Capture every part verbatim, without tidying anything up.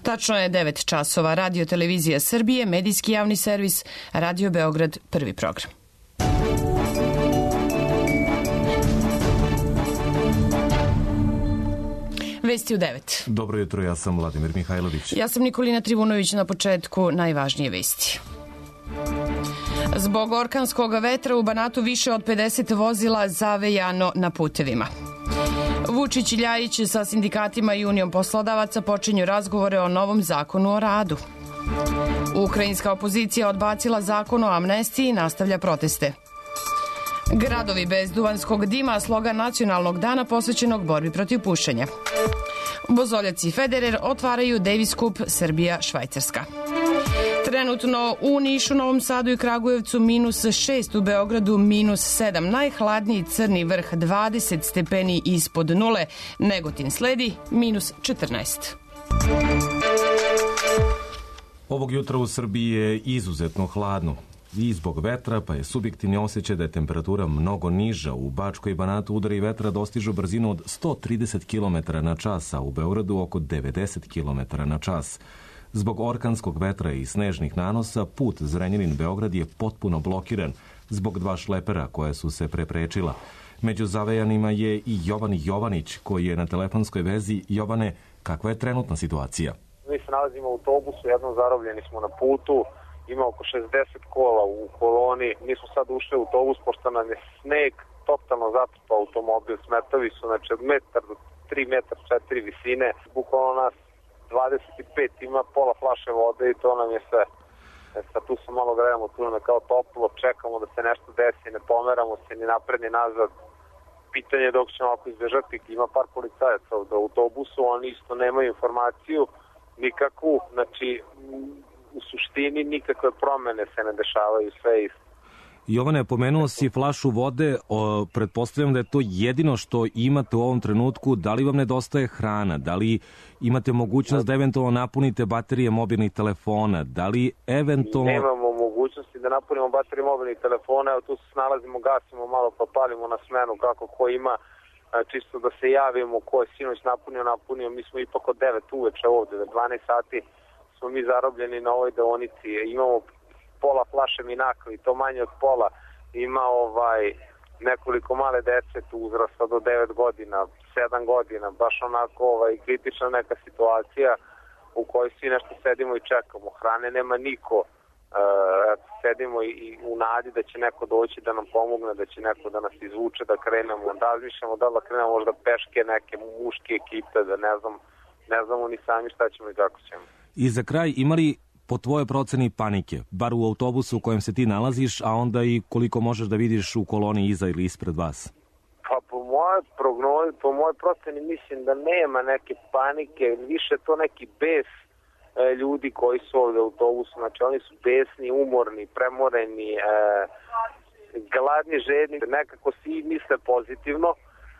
Tačno je devet časova. Radio Televizija Srbije, medijski javni servis, Radio Beograd, prvi program. Vesti u devet. Dobro jutro, ja sam Vladimir Mihajlović. Ja sam Nikolina Trivunović. Na početku najvažnije vesti. Zbog orkanskog vetra u Banatu više od pedeset vozila zavejano na putevima. Vučić i Ljajić sa sindikatima i Unijom poslodavaca počinju razgovore o novom zakonu o radu. Ukrajinska opozicija odbacila zakon o amnestiji i nastavlja proteste. Gradovi bez duvanskog dima, slogan nacionalnog dana posvećenog borbi protiv pušenja. Bozoljac i Federer otvaraju Davis Cup Srbija-Švajcarska. Trenutno u Nišu, Novom Sadu i Kragujevcu minus šest, u Beogradu minus sedam. Najhladniji Crni vrh dvadeset stepeni ispod nule. Negotin sledi minus četrnaest. Ovog jutra u Srbiji je izuzetno hladno. I zbog vetra, pa je subjektivni osjećaj da je temperatura mnogo niža. U Bačkoj i Banatu udari vetra dostižu brzinu od sto trideset kilometara na čas, a u Beogradu oko devedeset kilometara na čas. Zbog orkanskog vetra i snežnih nanosa, put Zrenjanin-Beograd je potpuno blokiran zbog dva šlepera koja su se preprečila. Među zavejanima je i Jovan Jovanić, koji je na telefonskoj vezi. Jovane, kakva je trenutna situacija? Mi se nalazimo u autobusu, jednom zarobljeni smo na putu, ima oko šezdeset kola u koloni. Mi smo sad ušli u autobus, pošto nam je sneg totalno zatrpao automobil, smetovi su znači od metar do tri metra četiri visine, bukvalno nas dvadeset pet, ima pola flaše vode i to nam je sve. E sad tu se malo grejamo, tu nam je kao toplo, čekamo da se nešto desi, ne pomeramo se ni napred ni nazad. Pitanje je dok ćemo ako izbežati, ima par policajaca u autobusu, oni isto nemaju informaciju nikakvu, znači u suštini nikakve promene se ne dešavaju, sve isto. Jovane, pomenuo si flašu vode, o, pretpostavljam da je to jedino što imate u ovom trenutku. Da li vam nedostaje hrana? Da li imate mogućnost da eventualno napunite baterije mobilnih telefona? Da li eventualno... Nemamo mogućnosti da napunimo baterije mobilnih telefona, evo tu se snalazimo, gasimo malo pa palimo na smenu kako ko ima, čisto da se javimo ko je sinoć napunio, napunio. Mi smo ipak od devet uveče ovde, da dvanaest sati smo mi zarobljeni na ovoj deonici. Imamo pola flaše Minakli, to manje od pola, ima ovaj nekoliko male dece tu uzrasta do devet godina, sedam godina, baš onako ovaj kritična neka situacija u kojoj svi nešto sedimo i čekamo. Hrane nema niko, e, sedimo i, i u nadi da će neko doći da nam pomogne, da će neko da nas izvuče, da krenemo, da razmišljamo da da krenemo možda peške neke muške ekipe, da ne znam, ne znamo ni sami šta ćemo i kako ćemo. I za kraj, imali po tvojoj proceni panike, bar u autobusu u kojem se ti nalaziš, a onda i koliko možeš da vidiš u koloni iza ili ispred vas? Pa po mojoj prognozi, po mojoj proceni mislim da nema neke panike, više to neki bes e, ljudi koji su ovde u autobusu, znači oni su besni, umorni, premoreni, e, gladni, žedni, nekako svi misle pozitivno,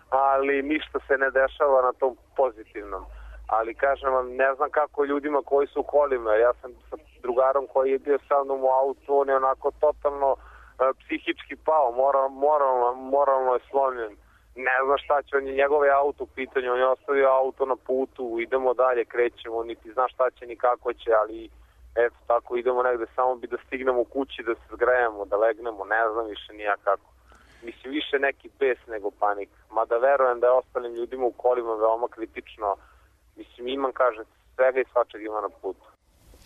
ali ništa se ne dešava na tom pozitivnom. Ali kažem vam, ne znam kako ljudima koji su u kolima. Ja sam sa drugarom koji je bio sa mnom u autu, on je onako totalno e, psihički pao, moral, moralno, moralno je slomljen. Ne znam šta će, on je njegov auto u pitanju, on je ostavio auto na putu, idemo dalje, krećemo, niti zna šta će ni kako će, ali eto tako idemo negde, samo bi da stignemo kući, da se zgrejemo, da legnemo, ne znam više nija kako. Mislim, više neki bes nego panik. Mada verujem da je ostalim ljudima u kolima veoma kritično. Mislim, imam, kaže, svega i svačeg ima na putu.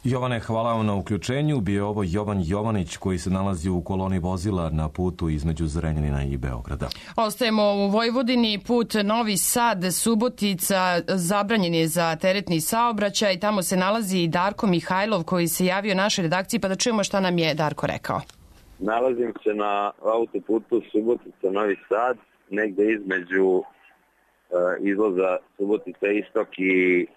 Jovane, hvala vam na uključenju. Bio je ovo Jovan Jovanić koji se nalazi u koloni vozila na putu između Zrenjanina i Beograda. Ostajemo u Vojvodini. Put Novi Sad, Subotica zabranjen je za teretni saobraćaj. Tamo se nalazi i Darko Mihajlov koji se javio našoj redakciji, pa da čujemo šta nam je Darko rekao. Nalazim se na autoputu Subotica Novi Sad, negde između izlaza Subotica Istok i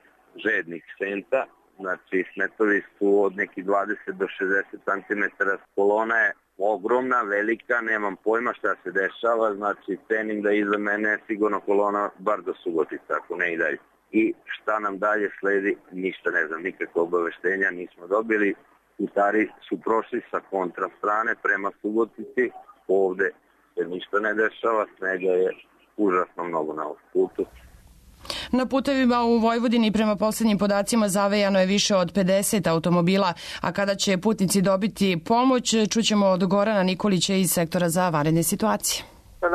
Žednih Senta. Znači, smetovi su od nekih dvadeset do šezdeset centimetara. Kolona je ogromna, velika, nemam pojma šta se dešava. Znači, cenim da iza mene je sigurno kolona bar do Subotica, ako ne i dalje. I šta nam dalje sledi, ništa ne znam, nikakve obaveštenja nismo dobili. Putari su prošli sa kontra strane prema Subotici, ovde se ništa ne dešava, snega je užasno mnogo na ovom putu. Na putevima u Vojvodini prema poslednjim podacima zavejano je više od pedeset automobila, a kada će putnici dobiti pomoć, čućemo od Gorana Nikolića iz sektora za vanredne situacije.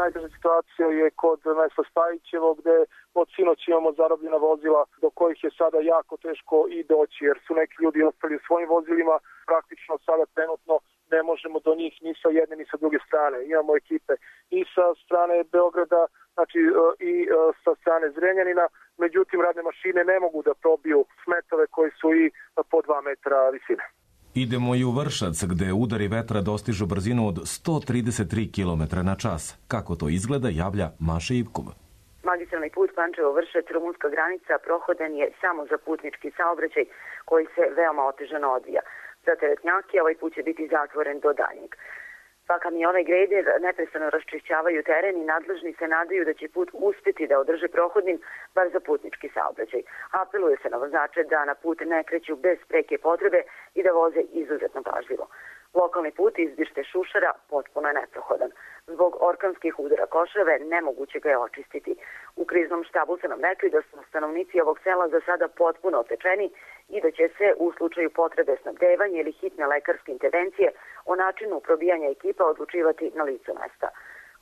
Najteža situacija je kod mesta Spajićevo, gde od sinoć imamo zarobljena vozila do kojih je sada jako teško i doći, jer su neki ljudi ostali u svojim vozilima. Praktično sada trenutno ne možemo do njih ni sa jedne ni sa druge strane. Imamo ekipe i sa strane Beograda, znači i sa strane Zrenjanina, međutim radne mašine ne mogu da probiju smetove koji su i po dva metra visine. Idemo i u Vršac, gde udari vetra dostižu brzinu od sto trideset tri kilometra na čas. Kako to izgleda, javlja Maša Ivkova. Magistralni put Pančevo-Vršac, rumunska granica, prohodan je samo za putnički saobraćaj koji se veoma otežano odvija. Za teretnjake ovaj put će biti zatvoren do daljnjeg. Pa kamione i grejder neprestano raščišćavaju teren i nadležni se nadaju da će put uspeti da održe prohodnim bar za putnički saobraćaj. Apeluje se na vozače da na put ne kreću bez preke potrebe i da voze izuzetno pažljivo. Lokalni put iz Bište Šušara potpuno je neprohodan. Zbog orkanskih udara košave nemoguće ga je očistiti. U kriznom štabu su nam rekli da su stanovnici ovog sela za sada potpuno otečeni i da će se u slučaju potrebe snabdevanja ili hitne lekarske intervencije o načinu probijanja ekipa odlučivati na licu mesta.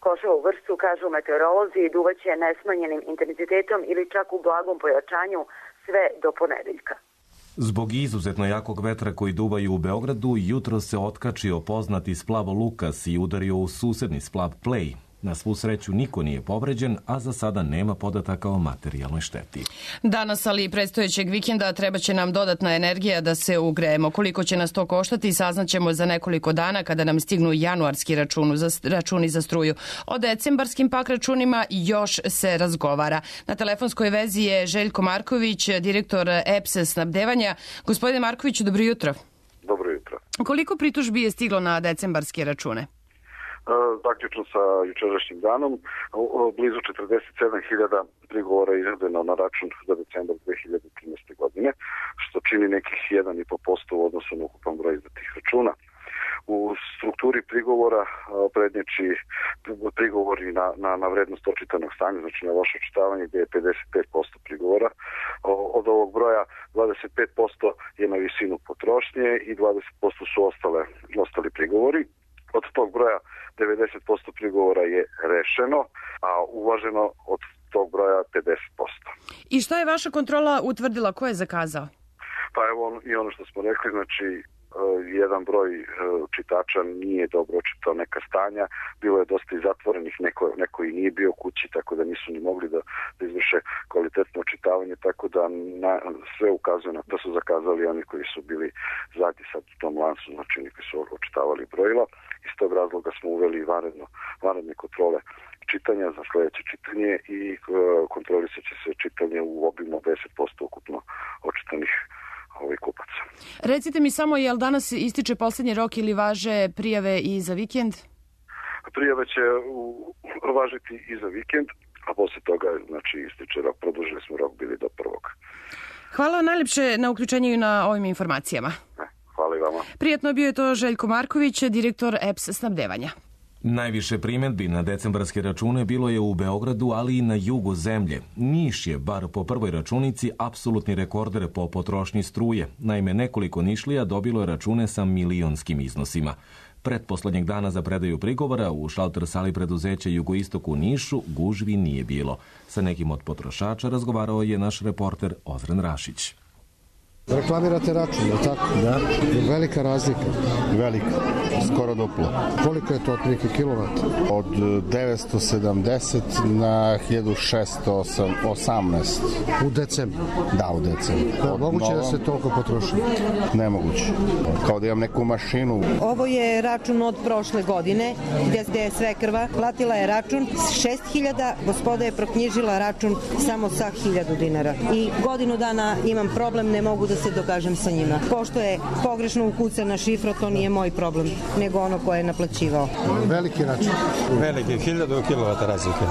Košava u Vršcu, kažu meteorolozi, duvaće nesmanjenim intenzitetom ili čak u blagom pojačanju sve do ponedeljka. Zbog izuzetno jakog vetra koji duvaju u Beogradu, jutro se otkačio poznati splav Lukas i udario u susedni splav Plej. Na svu sreću niko nije povređen, a za sada nema podataka o materijalnoj šteti. Danas, ali i predstojećeg vikenda, treba će nam dodatna energija da se ugrejemo. Koliko će nas to koštati, saznaćemo za nekoliko dana kada nam stignu januarski računi za, računi za struju. O decembarskim pak računima još se razgovara. Na telefonskoj vezi je Željko Marković, direktor E P S snabdevanja. Gospodine Markoviću, dobro jutro. Dobro jutro. Koliko pritužbi je stiglo na decembarske račune? Zaključno sa jučerašnjim danom, blizu četrdeset sedam hiljada prigovora je izvedeno na račun za decembar dve hiljade trinaeste. godine, što čini nekih jedan i po posto u odnosu na ukupan broj izdatih računa. U strukturi prigovora prednjači prigovori na, na, na vrednost očitanog stanja, znači na loše očitavanje, gdje je pedeset pet posto prigovora. Od ovog broja dvadeset pet posto je na visinu potrošnje i dvadeset posto su ostale, ostali prigovori. Od tog broja devedeset posto prigovora je rešeno, a uvaženo od tog broja pedeset posto. I šta je vaša kontrola utvrdila? Ko je zakazao? Pa evo i ono što smo rekli, znači jedan broj čitača nije dobro očitao neka stanja, bilo je dosta i zatvorenih, neko, neko i nije bio kući, tako da nisu ni mogli da, da izvrše kvalitetno očitavanje, tako da na, sve ukazuje na da su zakazali oni koji su bili zadnji sad u tom lancu, znači oni koji su očitavali brojila. Iz tog razloga smo uveli vanredno, vanredne kontrole čitanja za sledeće čitanje i kontrolisat će se čitanje u obimu deset posto ukupno očitanih ovih kupaca. Recite mi samo, je li danas ističe poslednji rok ili važe prijave i za vikend? Prijave će u, važiti i za vikend, a posle toga znači ističe rok, produžili smo rok, bili do prvog. Hvala vam najlepše na uključenju i na ovim informacijama. Hvala i vama. Prijatno bio je to Željko Marković, direktor E P S snabdevanja. Najviše primjedbi na decembarske račune bilo je u Beogradu, ali i na jugu zemlje. Niš je, bar po prvoj računici, apsolutni rekorder po potrošnji struje. Naime, nekoliko Nišlija dobilo je račune sa milionskim iznosima. Pretposlednjeg dana za predaju prigovora u šalter sali preduzeća Jugoistok u Nišu gužvi nije bilo. Sa nekim od potrošača razgovarao je naš reporter Ozren Rašić. Reklamirate račun, je li tako? Da. Velika razlika? Velika, skoro duplo. Koliko je to otprilike kilovata? Od devetsto sedamdeset na hiljadu šeststo osamnaest. U decembru? Da, u decembru. Da, moguće da se toliko potroši? Nemoguće. Kao da imam neku mašinu. Ovo je račun od prošle godine, gde je sve krva. Platila je račun šest hiljada, gospoda je proknjižila račun samo sa hiljadu dinara. I godinu dana imam problem, ne mogu da se dokažem sa njima. Pošto je pogrešno ukucana šifra, to nije moj problem, nego ono ko je naplaćivao. Veliki račun. Veliki, hiljadu kilovata razlike.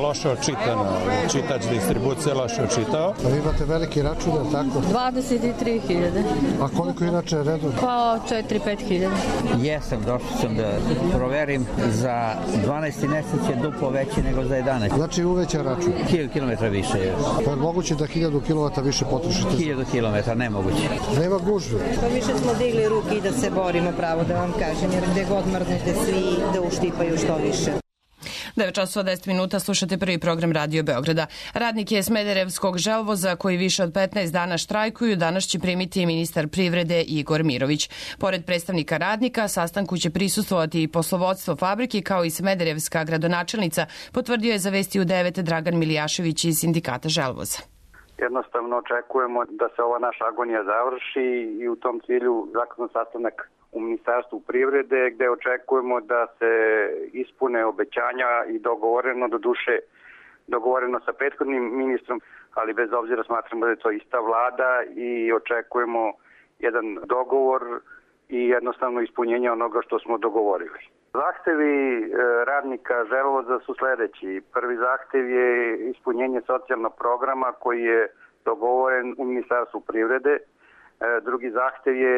Loše očitano, čitač distribucije loše očitao. A vi imate veliki račun, je tako? dvadeset tri hiljade. A koliko inače je redom? Pa četiri do pet hiljada. Jesam, došao sam da proverim, za dvanaesti mesec je duplo veći nego za jedanaest. Znači uveća račun? Hiljadu kilometra više je. Pa je moguće da hiljadu kilovata više potrošite? Hiljadu kilometra, nemoguće. Nema gužve? Pa više smo digli ruke i da se borimo, pravo da vam kažem, jer gde god mrznete svi da uštipaju što više. devet časova deset minuta, slušate prvi program Radio Beograda. Radnike Smederevskog želvoza koji više od petnaest dana štrajkuju danas će primiti ministar privrede Igor Mirović. Pored predstavnika radnika, sastanku će prisustvovati i poslovodstvo fabrike kao i smederevska gradonačelnica, potvrdio je za Vesti u devet Dragan Milijašević iz sindikata želvoza. Jednostavno očekujemo da se ova naša agonija završi i u tom cilju zakazan sastanak u Ministarstvu privrede gde očekujemo da se ispune obećanja i dogovoreno, do duše dogovoreno sa prethodnim ministrom, ali bez obzira smatramo da je to ista vlada i očekujemo jedan dogovor i jednostavno ispunjenje onoga što smo dogovorili. Zahtevi radnika želvoza su sledeći. Prvi zahtev je ispunjenje socijalnog programa koji je dogovoren u Ministarstvu privrede. Drugi zahtev je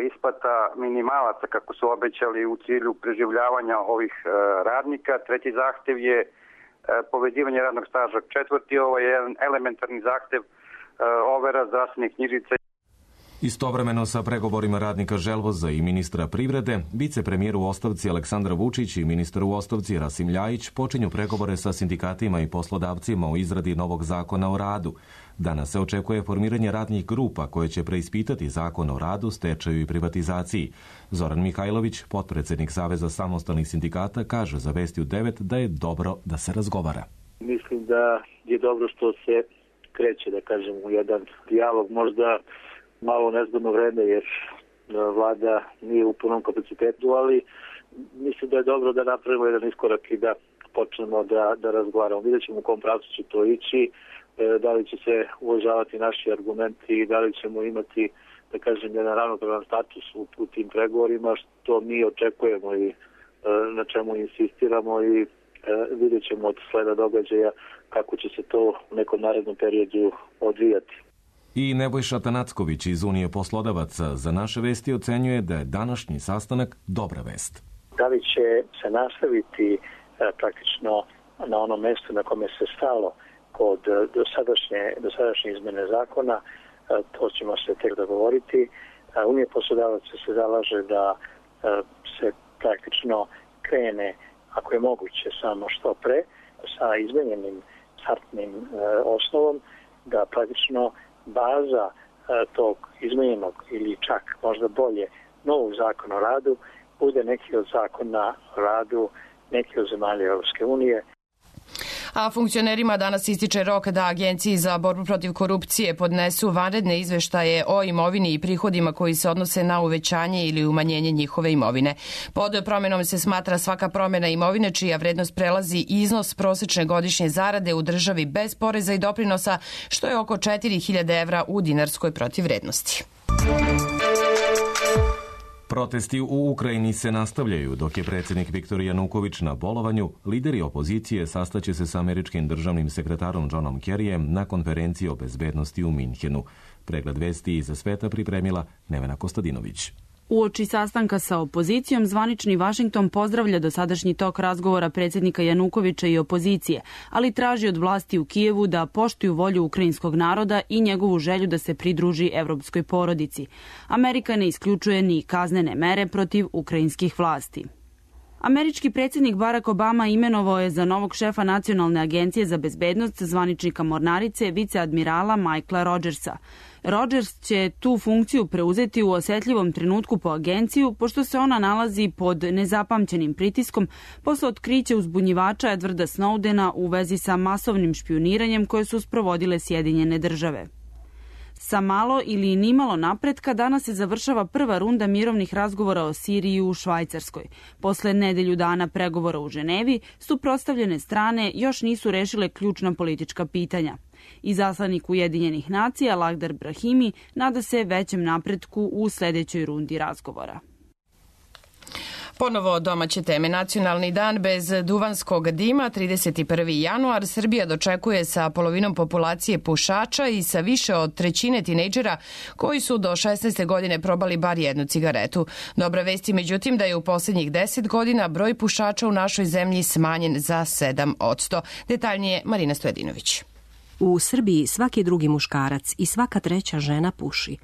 isplata minimalaca kako su obećali u cilju preživljavanja ovih radnika. Treći zahtev je povezivanje radnog staža. Četvrti, ovo je jedan elementarni zahtev overa zdravstvenih knjižica. Istovremeno sa pregovorima radnika želvoza i ministra privrede, vicepremijer u ostavci Aleksandar Vučić i ministar u ostavci Rasim Ljajić počinju pregovore sa sindikatima i poslodavcima o izradi novog zakona o radu. Danas se očekuje formiranje radnih grupa koje će preispitati zakon o radu, stečaju i privatizaciji. Zoran Mihajlović, potpredsednik Saveza samostalnih sindikata, kaže za Vesti u devet da je dobro da se razgovara. Mislim da je dobro što se kreće, da kažem, u jedan dijalog, možda malo nezgodno vreme jer vlada nije u punom kapacitetu, ali mislim da je dobro da napravimo jedan iskorak i da počnemo da, da razgovaramo. Vidjet ćemo u kom pravcu će to ići, da li će se uvažavati naši argumenti i da li ćemo imati, da kažem, jedan ravnopravan status u, u tim pregovorima, što mi očekujemo i na čemu insistiramo i vidjet ćemo od sleda događaja kako će se to u nekom narednom periodu odvijati. I Nebojša Tanacković iz Unije poslodavaca za naše Vesti ocenjuje da je današnji sastanak dobra vest. Da li će se nastaviti praktično na onom mestu na kome se stalo kod dosadašnje, dosadašnje izmene zakona, to ćemo se tek dogovoriti. Unija poslodavaca se zalaže da se praktično krene, ako je moguće, samo što pre, sa izmenjenim startnim osnovom, da praktično baza tog izmenjenog ili čak možda bolje novog zakona o radu bude neki od zakona o radu neki od zemalja Europske unije. A funkcionerima danas ističe rok da Agenciji za borbu protiv korupcije podnesu vanredne izveštaje o imovini i prihodima koji se odnose na uvećanje ili umanjenje njihove imovine. Pod promenom se smatra svaka promena imovine čija vrednost prelazi iznos prosečne godišnje zarade u državi bez poreza i doprinosa, što je oko četiri hiljade evra u dinarskoj protivvrednosti. Protesti u Ukrajini se nastavljaju. Dok je predsjednik Viktor Januković na bolovanju, lideri opozicije sastaće se sa američkim državnim sekretarom Johnom Kerryjem na konferenciji o bezbednosti u Minhenu. Pregled vesti iza sveta pripremila Nevena Kostadinović. Uoči sastanka sa opozicijom, zvanični Vašington pozdravlja dosadašnji tok razgovora predsjednika Janukovića i opozicije, ali traži od vlasti u Kijevu da poštuju volju ukrajinskog naroda i njegovu želju da se pridruži evropskoj porodici. Amerika ne isključuje ni kaznene mere protiv ukrajinskih vlasti. Američki predsjednik Barack Obama imenovao je za novog šefa Nacionalne agencije za bezbednost zvaničnika mornarice viceadmirala Michaela Rogersa. Rogers će tu funkciju preuzeti u osetljivom trenutku po agenciju, pošto se ona nalazi pod nezapamćenim pritiskom posle otkrića uzbunjivača Edwarda Snowdena u vezi sa masovnim špijuniranjem koje su sprovodile Sjedinjene države. Sa malo ili nimalo napretka danas se završava prva runda mirovnih razgovora o Siriji u Švajcarskoj. Posle nedelju dana pregovora u Ženevi, suprotstavljene strane još nisu rešile ključna politička pitanja. Izaslanik Ujedinjenih nacija Lakhdar Brahimi nada se većem napretku u sledećoj rundi razgovora. Ponovo domaće teme. Nacionalni dan bez duvanskog dima, trideset prvi januar, Srbija dočekuje sa polovinom populacije pušača i sa više od trećine tinejdžera koji su do šesnaeste godine probali bar jednu cigaretu. Dobra vest je međutim da je u poslednjih deset godina broj pušača u našoj zemlji smanjen za sedam posto. Detaljnije Marina Stojedinović. U Srbiji svaki drugi muškarac i svaka treća žena puši.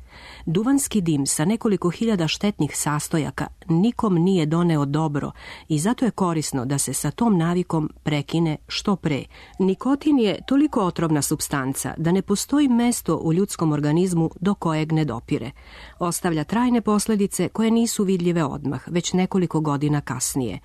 Duvanski dim sa nekoliko hiljada štetnih sastojaka nikom nije doneo dobro i zato je korisno da se sa tom navikom prekine što pre. Nikotin je toliko otrovna supstanca da ne postoji mesto u ljudskom organizmu do kojeg ne dopire. Ostavlja trajne posledice koje nisu vidljive odmah, već nekoliko godina kasnije.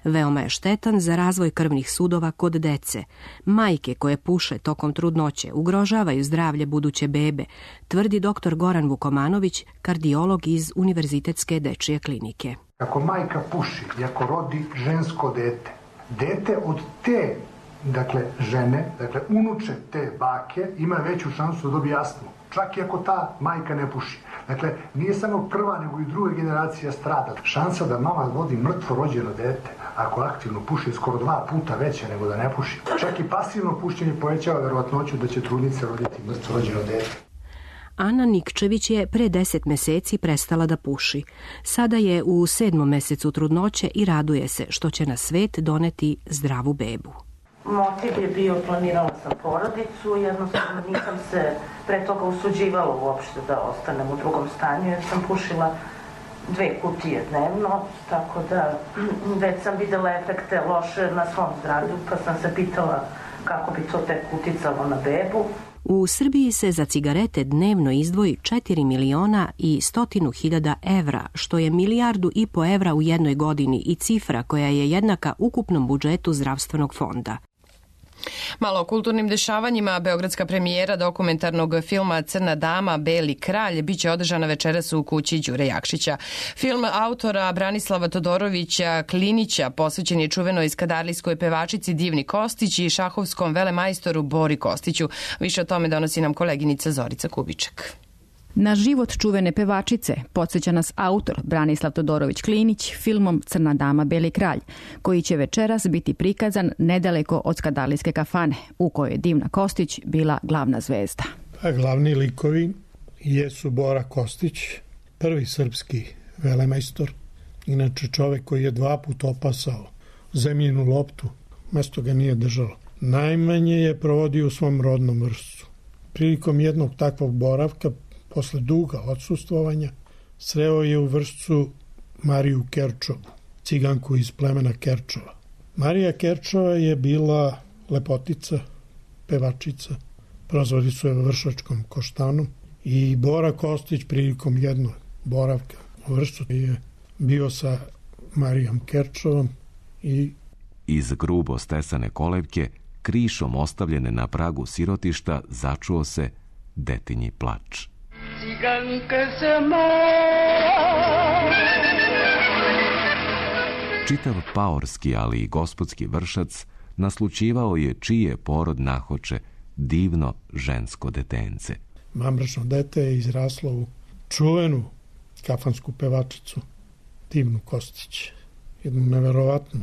Veoma je štetan za razvoj krvnih sudova kod dece. Majke koje puše tokom trudnoće ugrožavaju zdravlje buduće bebe, tvrdi doktor Goran Vukomanović, kardiolog iz Univerzitetske dečije klinike. Ako majka puši i ako rodi žensko dete, dete od te dakle, žene, dakle unuče te bake, ima veću šansu da dobije astmu. Čak i ako ta majka ne puši. Dakle, nije samo prva, nego i druga generacija strada. Šansa da mama vodi mrtvo rođeno dete, ako aktivno puši, skoro dva puta veća nego da ne puši. Čak i pasivno pušenje povećava verovatnoću da će trudnica roditi mrtvo rođeno dete. Ana Nikčević je pre deset meseci prestala da puši. Sada je u sedmom mesecu trudnoće i raduje se što će na svet doneti zdravu bebu. Motiv je bio, planirala sam porodicu, jednostavno nisam se pre toga usuđivala uopšte da ostanem u drugom stanju, jer sam pušila dve kutije dnevno, tako da već sam videla efekte loše na svom zdravlju, pa sam se pitala kako bi to tek uticalo na bebu. U Srbiji se za cigarete dnevno izdvoji četiri miliona i stotinu hiljada evra, što je milijardu i po evra u jednoj godini i cifra koja je jednaka ukupnom budžetu zdravstvenog fonda. Malo o kulturnim dešavanjima. Beogradska premijera dokumentarnog filma Crna dama, Beli kralj biće održana večeras u kući Đure Jakšića. Film autora Branislava Todorovića Klinića posvećen je čuvenoj skadarlijskoj pevačici Divni Kostić i šahovskom velemajstoru Bori Kostiću. Više o tome donosi nam koleginica Zorica Kubiček. Na život čuvene pevačice podsjeća nas autor Branislav Todorović Klinić filmom Crna dama, Beli kralj, koji će večeras biti prikazan nedaleko od skadarlijske kafane, u kojoj je Divna Kostić bila glavna zvezda. A glavni likovi jesu Bora Kostić, prvi srpski velemajstor, inače čovek koji je dva put opasao zemljinu loptu, mesto ga nije držalo. Najmanje je provodio u svom rodnom vrstu. Prilikom jednog takvog boravka, posle duga odsustvovanja, sreo je u Vršcu Mariju Kerčovu, ciganku iz plemena Kerčova. Marija Kerčova je bila lepotica, pevačica, prozvali su je Vršačkom koštanom i Bora Kostić prilikom jednog boravka u Vršcu je bio sa Marijom Kerčovom i iz grubo stesane kolevke, krišom ostavljene na pragu sirotišta, začuo se detinji plač. Ciganka sama. Čitav paorski, ali i gospodski Vršac naslućivao je čiji je porod nahoče divno žensko detence. Mamračno dete je izraslo u čuvenu kafansku pevačicu Divnu Kostić, jednu neverovatnu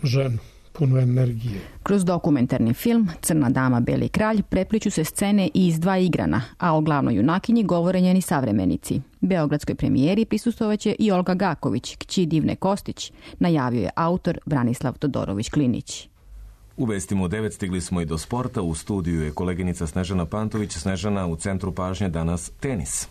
ženu, puno energije. Kroz dokumentarni film Crna dama, Beli kralj prepliču se scene i iz dva igrana, a o glavnoj junakinji govore njeni savremenici. Beogradskoj premijeri prisustvovaće i Olga Gaković, kći Divne Kostić, najavio je autor Branislav Todorović Klinić. U vestima u devet stigli smo i do sporta. U studiju je koleginica Snežana Pantović. Snežana, u centru pažnje danas tenis.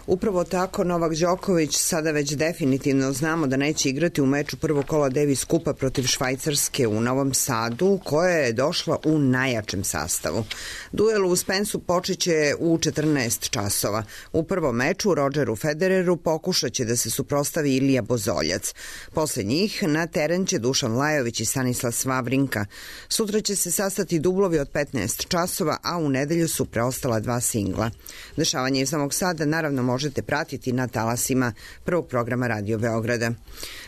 Upravo tako, Novak Đoković sada već definitivno znamo da neće igrati u meču prvog kola Davis Kupa protiv Švajcarske u Novom Sadu, koja je došla u najjačem sastavu. Duel u Spensu počeće u četrnaest časova. U prvom meču Rodgeru Federeru pokušat će da se suprostavi Ilija Bozoljac. Posle njih na teren će Dušan Lajović i Stanislas Wawrinka. Sutra će se sastati dublovi od petnaest časova, a u nedelju su preostala dva singla. Dešavanje iz Novog Sada naravno može možete pratiti na talasima prvog programa Radio Beograda.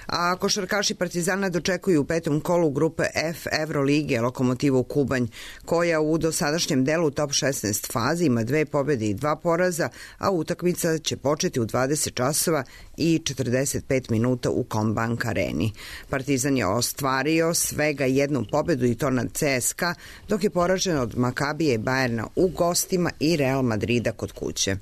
A košarkaši Partizana dočekuju u petom kolu grupe F Evrolige Lokomotivu Kubanj, koja u dosadašnjem delu top šesnaest fazi ima dve pobjede i dva poraza, a utakmica će početi u dvadeset časova i četrdeset pet minuta u Combank areni. Partizan je ostvario svega jednu pobjedu i to nad C S K A, dok je poražen od Makabije i Bajerna u gostima i Real Madrida kod kuće.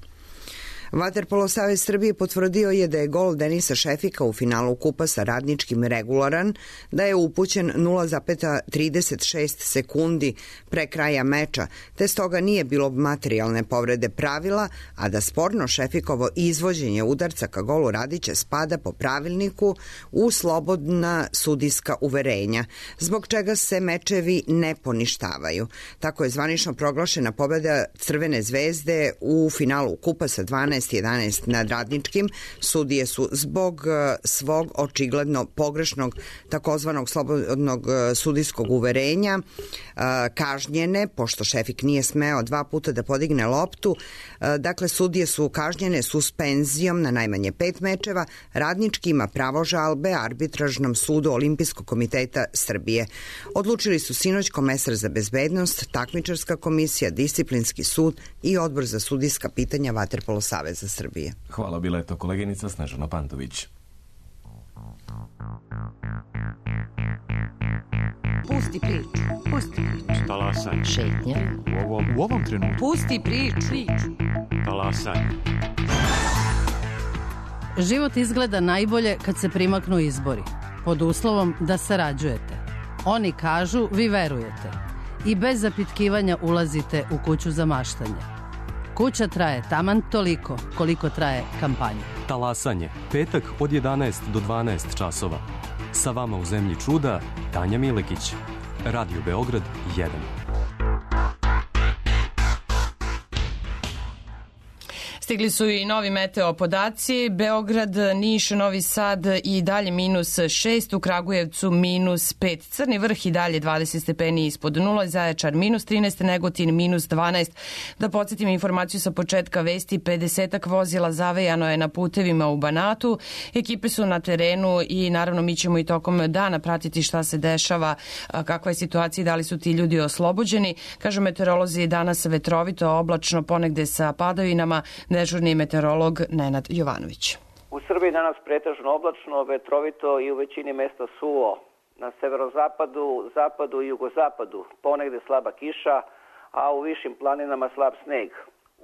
Vaterpolo savez Srbije potvrdio je da je gol Denisa Šefika u finalu kupa sa Radničkim regularan, da je upućen nula zarez trideset šest sekundi pre kraja meča, te stoga nije bilo materijalne povrede pravila, a da sporno Šefikovo izvođenje udarca ka golu Radića spada po pravilniku u slobodna sudijska uverenja, zbog čega se mečevi ne poništavaju. Tako je zvanično proglašena pobjeda Crvene zvezde u finalu kupa sa dvanaest jedanaest nad Radničkim. Sudije su zbog svog očigledno pogrešnog takozvanog slobodnog sudijskog uverenja kažnjene, pošto Šefik nije smeo dva puta da podigne loptu. Dakle, sudije su kažnjene suspenzijom na najmanje pet mečeva. Radnički ima pravo žalbe Arbitražnom sudu Olimpijskog komiteta Srbije. Odlučili su sinoć komesar za bezbednost, takmičarska komisija, disciplinski sud i odbor za sudijska pitanja Vaterpolo saveza Srbije. Hvala, bila je to koleginica Snežana Pantović. Pusti priču, pusti priču. Talasanje. Šetnja. U ovom, u ovom trenutku. Pusti priču. priču. Talasanje. Život izgleda najbolje kad se primaknu izbori, pod uslovom da sarađujete. Oni kažu, vi verujete. I bez zapitkivanja ulazite u kuću za maštanje. Kuća traje taman toliko koliko traje kampanja. Talasanje. Petak od jedanaest do dvanaest časova. Sa vama u zemlji čuda Tanja Milekić. Radio Beograd jedan. Stigli su i novi meteo podaci. Beograd, Niš, Novi Sad i dalje minus šest, u Kragujevcu minus pet. Crni Vrh i dalje dvadeset stepeni ispod nula, Zaječar minus trinaest, Negotin minus dvanaest. Da podsjetim informaciju sa početka vesti, pedesetak vozila zavejano je na putevima u Banatu. Ekipe su na terenu i naravno mi ćemo i tokom dana pratiti šta se dešava, kakva je situacija i da li su ti ljudi oslobođeni. Kažu meteorolozi, danas vetrovito, oblačno, ponegde sa padavinama. Dežurni meteorolog Nenad Jovanović. U Srbiji danas pretežno oblačno, vetrovito i u većini mesta suvo. Na severozapadu, zapadu i jugozapadu ponegde slaba kiša, a u višim planinama slab sneg.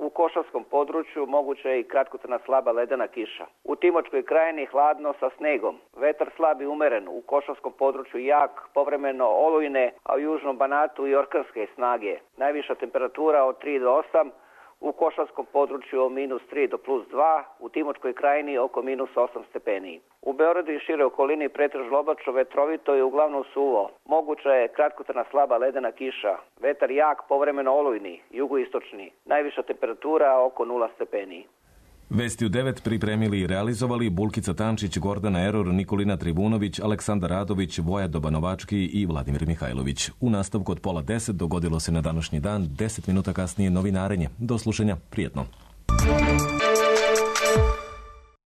U Košavskom području moguća je i kratkotrajna slaba ledena kiša. U Timočkoj krajini hladno sa snegom. Vetar slab i umeren, u Košavskom području jak, povremeno olujne, a u južnom Banatu i orkanske snage. Najviša temperatura od tri do osam, u Košavskom području od minus tri do plus dva, u Timočkoj krajini oko minus osam stepeni. U Beogradu i šire okolini pretežno oblačno, vetrovito i uglavnom suvo. Moguća je kratkotrajna slaba ledena kiša. Vetar jak, povremeno olujni, jugoistočni. Najviša temperatura oko nula stepeni. Vesti u devet pripremili i realizovali Bulkica Tančić, Gordana Eror, Nikolina Tribunović, Aleksandar Radović, Voja Dobanovački i Vladimir Mihajlović. U nastavku od pola deset dogodilo se na današnji dan, deset minuta kasnije novinarenje. Do slušanja, prijetno.